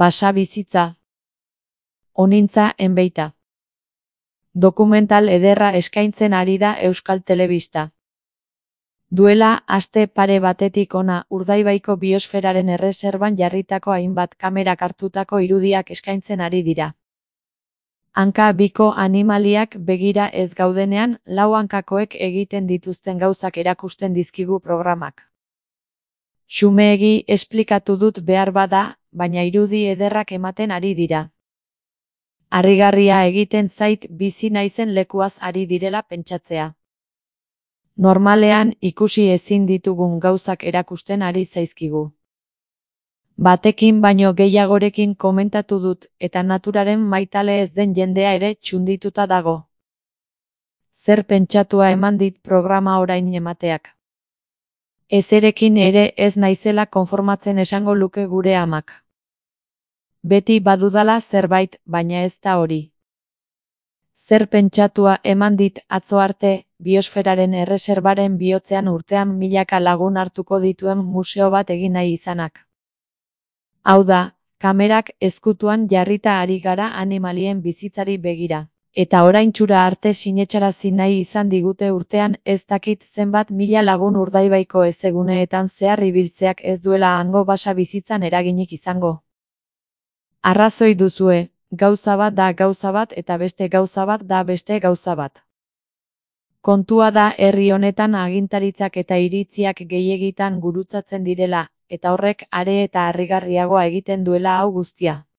Basabizitza. Honintza enbeita. Dokumental ederra eskaintzen ari da Euskal Telebista. Duela aste pare batetik hona Urdaibaiko biosferaren erreserban jarritako hainbat kamerak hartutako irudiak eskaintzen ari dira. Hanka biko animaliak begira ez gaudenean, lau hankakoek egiten dituzten gauzak erakusten dizkigu programak. Xumeegi esplikatu dut behar bada, baina irudi ederrak ematen ari dira. Harrigarria egiten zait bizi naizen lekuaz ari direla pentsatzea. Normalean ikusi ezin ditugun gauzak erakusten ari zaizkigu. Batekin baino gehiagorekin komentatu dut, eta naturaren maitale ez den jendea ere txundituta dago. Zer pentsatua eman dit programa orain emateak. Ezerekin ere ez naizela konformatzen esango luke gure amak. Beti badudala zerbait, baina ez da hori. Zer pentsatua eman dit atzo arte, biosferaren erreserbaren bihotzean urtean milaka lagun hartuko dituen museo bat egin nahi izanak. Hau da, kamerak ezkutuan jarrita ari gara animalien bizitzari begira. Eta oraintxura arte sinetsarazi nahi izan digute urtean ez dakit zenbat mila lagun Urdaibaiko ezeguneetan zehar ibiltzeak ez duela hango basabizitzan eraginik izango. Arrazoi duzue, gauza bat da gauza bat eta beste gauza bat da beste gauza bat. Kontua da herri honetan agintaritzak eta iritziak gehiegitan gurutzatzen direla, eta horrek are eta harrigarriagoa egiten duela hau guztia.